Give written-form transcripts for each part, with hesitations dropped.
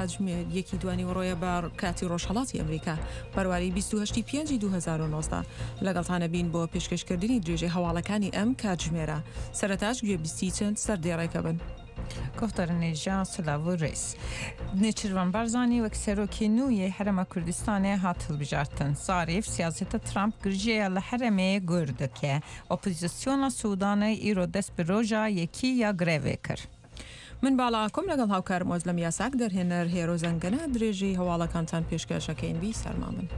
کاتژمێر یەکی دوانیوەڕۆیە بە کاتی ڕۆژهەڵاتی ئەمریکا، بەرواری 28 ی پێنجی 2019. لەگەڵتان ئەبین بۆ پێشکەشکردنی درێژەی هەواڵەکانی ئەم کاتژمێرە. سەرەتاش گوێبیستی چەند سەردێڕێکە بن. گوفتارنێژا سلاڤ و رێز. نێچیرڤان بارزانی وەک سەرۆکی نوێی هەرێما کوردستانێ هات هەڵبژارتن. زاریف سیاسەتە ترامپ گرژیە لە هەرێمێ gur dike. ئۆپۆزیسیۆنا سودانê îro dest bi roja yekî ya grevê kir. من باڵا ئاکۆم لەگەڵ هاوکارم ئۆزلەم یاساک دەرهێنەر هێرۆ زەنگەنە درێژەی هەواڵەکانتان پێشکەش ئەکەین بی سەرما بن.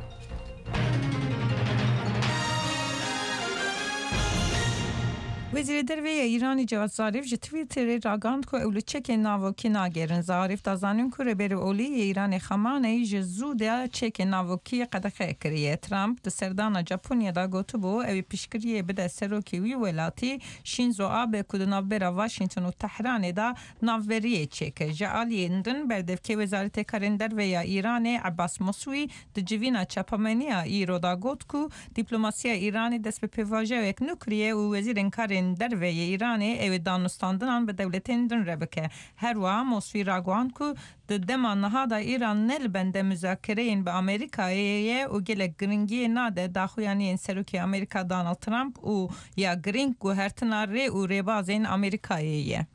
Wezîrê Derve yê Îranê Cevad Zarîf ji Twitterê ragihand ku ew li çekên navokî nagerin. Zarîf da zanîn ku Rêberê Olî yê Îranê Xamaney ji zû de çekên navokî qedexe kiriye. Trump di serdana Japonya de gotibû ew ê piştgiriyê bide serokê wî welatî Shinzo Abe ku di navbera Washington û Tehranê de navberiyê çêke. Ji aliyên din berdevkê Wezaretê Karên Derve ya Îranê Ebas Moswî di civîna çapameniya îro de got ku dîplomasiya Îranê dest bi pêvajoyek nû kiriye û wezîrên karên derve yê Îranê ew ê danûstandinan bi dewletên din re bike. Her wiha Moswî ragihand ku Di dema niha de Îran ne li bende muzakereyên bi Amerîkayê ye û gelek giringiyê nade daxuyaniyên Serokê Amerîka Donald Trump û ya girîng guhertina rê û rêbazên Amerîkayê ye.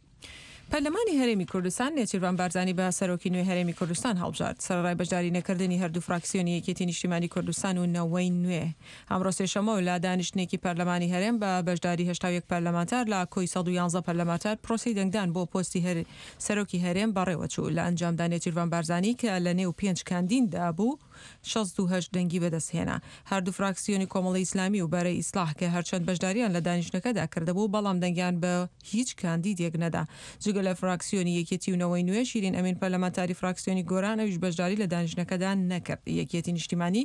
پەرلەمانی هەرێمی کوردستان نێچیرڤان بارزانی بە سەرۆکی نوێی هەرێمی کوردستان هەڵبژارد، سەرەڕای بەشداری نەکردنی هەردوو فراکسیۆنی یەکێتی نیشتیمانی کوردستان و نەوەی نوێ. ئەمڕۆ سێشەممە و لە دانیشتنێکی پەرلەمانی هەرێم بە بەشداری 81 پەرلەمانتار لە کۆی 111 پەرلەمانتار پرۆسەی دەنگدان بۆ پۆستی سەرۆکی هەرێم بەڕێوەچوو، لە ئەنجامدا نێچیرڤان بارزانی کە لە نێو پێنج کاندیددا بوو 68 دەنگی بەدەستهێنا. هەردوو فراکسیۆنی کۆمەڵی ئیسلامی و بەرەی ئیسڵاح کە هەرچەند بەشداریان لە دانیشتنەکەدا کردبوو بەڵام دەنگیان بە هیچ کاندیدێک نەدا. جگە لە فراکسیۆنی یەکێتی و نەوەی نوێ، شیرین ئەمین پەرلەمانتاری فراکسیۆنی گۆران ئەویش بەشداری لە دانیشتنەکەدا نەکرد. یەکێتی نیشتیمانی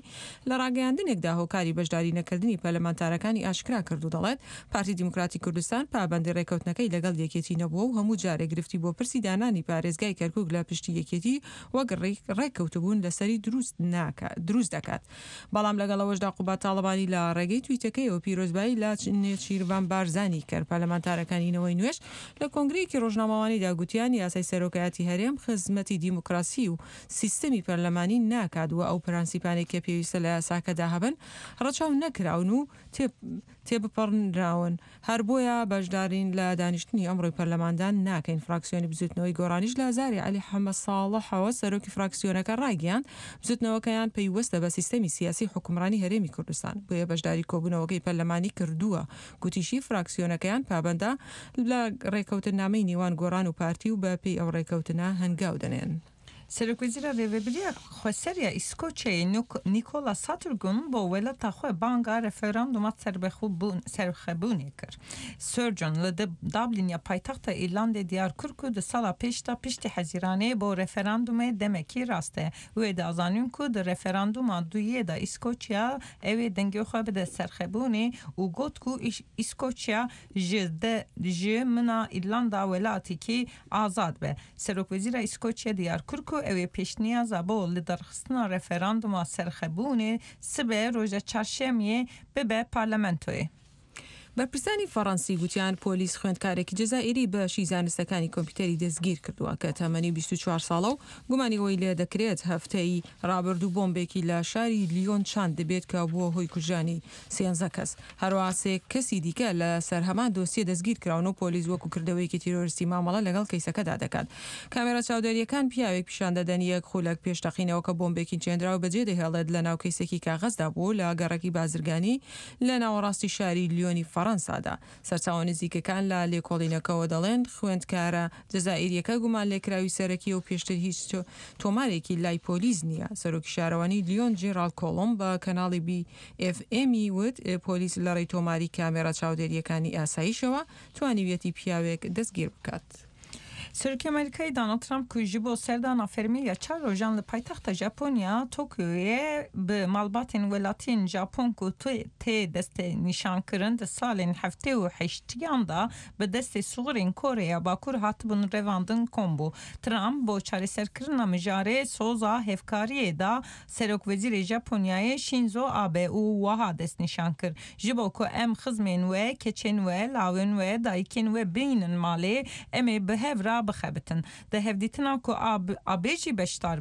لە ڕاگەیاندنێکدا هۆکاری بەشداری نەکردنی پەرلەمانتارەکانی ئاشکرا کرد و دەڵێت، پارتی دیموکراتی کوردستان پابەندی ڕێککەوتنەکەی لەگەڵ یەکێتی نەبووە و هەموو جارێک گرفتی بۆ پرسی دانانی پارێزگای کەرکوک لە پشتی یەکێتی وەک ڕێککەوتبوون لەسەری دروست دەکات. بەڵام لەگەڵ ئەوەشدا قوباد تاڵەبانی لە ڕێگەی تویتەکەیەوە پیرۆزبایی لە نێچیرڤان بارزانی کرد. پەرلەمانتارەکانی نەوەی نوێش لە کۆنگرەیەکی ڕۆژنامەوانیدا گوتیان یاسای سەرۆکایەتی هەرێم خزمەتی دیموکراسی و سیستەمی پەرلەمانی ناکات و ئەو پرەنسیپانەی کە پێویستە لە یاساکەدا هەبن ڕەچاو نەکراون و تێبپەڕنراون. هەر بۆیە بەشدارین لە دانیشتنی ئەمڕۆی پەرلەماندا ناکەین. فراکسیۆنی بزوتنەوەی گۆڕانیش لە زاری عەلی حەمە ساڵحەوە سەرۆکی فراکسیۆنەکە ڕایگەیاند، بزوتنەوەکەیان پەیوەستە بە سیستەمی سیاسی حوکمڕانی هەرێمی کوردستان، بۆیە بەشداری کۆبونەوەکەی پەرلەمانی کردووە. گوتیشی، فراکسیۆنەکەیان پابەندە لە ڕێکەوتننامەی نێوان گۆڕان و پارتی و بە پێی ئەو ڕێکەوتنە هەنگاو دەنێن. Serokwezîra Rêveberiya Xweser ya Îskoçyayê Nicola Sturgeon bo welata xwe banga referanduma serxwebûnê kir. Sturgeon li Dublin ya paytexta Îrlandê diyar kir ku di sala pêş de piştî Hezîranê bo referandumê demekî rast e. Wê da zanîn ku di referanduma duyê de Îskoçya ew ê dengê xwe bide serxwebûnê û got ku Îskoçya ji ji mina Îrlanda welatekî azad be. Serokwezîra Îskoçya diyar kir ku ew ê pêşniyaza bo lidarxistina referanduma serxwebûnê sibe roja çarşemiyê bibe parlamentoyê. بەرپرسانی فەڕەنسی گوتیان پۆلیس خوێندکارێکی جەزائیری بەشی زانستەکانی کۆمپیوتەری دەستگیرکردووە کە تەمەنی 24 ساڵە و گومانی ئەوەی لێدەکرێت هەفتەی ڕابردوو بۆمبێکی لە شاری لیۆن چاندبێت کە بووە هۆی کوژرانی سێنزە کەس. هەروەها سێ کەسی دیکە لە سەر هەمان دۆسیە دەستگیرکراون و پۆلیس وەکو کردەوەیەکی تیرۆرستی مامەڵە لەگەڵ کەیسەکەدا دەکات. کامێرا چاودێرییەکان پیاوێک پیشان دەدەن یەک خولەک پێش تەقینەوەکە بۆمبێکی چێندراو بەجێدەهێڵێت لەناو کەیسێکی کاغەزدا بوو لە گەڕەکی بازرگانی لە ناوەڕاستی شاری لیۆنی فەڕەنسادا. سەرچاوە نزیکەکان لە لێکۆڵینەکەوە دەڵێن، خوێندکارە جەزائیرییەکە گومانلێکراوی سەرەکییە و پێشتر هیچ تۆمارێکی لای پۆلیس نییە. سەرۆکی شارەوانی لیۆن جێراڵد کۆڵۆم بە کەناڵی بی ئێف ئێمی وت، پۆلیس لەڕێی تۆماری کامێرا چاودێرییەکانی ئاسایشەوە توانیویەتی پیاوێک دەستگیر بکات. Serokê Amerîkayê Donald Trump ku ji bo serdana fermî ya çar rojan li paytexta Japonya Tokyoyê bi malbatên welatiyên Japon ku tê destnîşankirin di salên 78iyan de bi destê suxurên Koreya Bakur hatibûn revandin kom bû. Trump bo çareserkirina mijarê soza hevkariyê da Serokwezîrê Japonyayê Shinzo Abe û wiha destnîşan kir, Ji bo ku em xizmên we, keçên we, lawên we, dayikên we bînin malê, em ê bi hev re de bixebitin. Di hevdîtina ku Abe jî beşdar.